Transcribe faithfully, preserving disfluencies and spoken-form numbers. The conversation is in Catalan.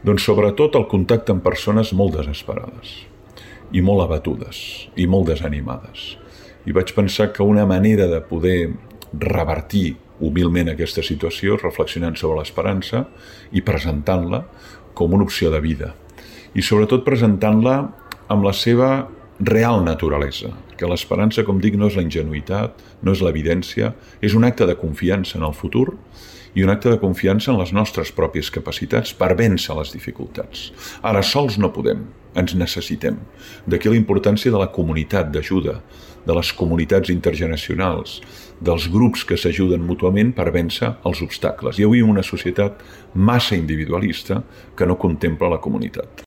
Doncs sobretot el contacte amb persones molt desesperades i molt abatudes i molt desanimades. I vaig pensar que una manera de poder revertir humilment aquesta situació és reflexionant sobre l'esperança i presentant-la com una opció de vida. I sobretot presentant-la amb la seva real naturalesa, que l'esperança, com dic, no és la ingenuïtat, no és l'evidència, és un acte de confiança en el futur i un acte de confiança en les nostres pròpies capacitats per vèncer les dificultats. Ara, sols no podem, ens necessitem. D'aquí la importància de la comunitat d'ajuda, de les comunitats intergeneracionals, dels grups que s'ajuden mútuament per vèncer els obstacles. I avui en una societat massa individualista que no contempla la comunitat.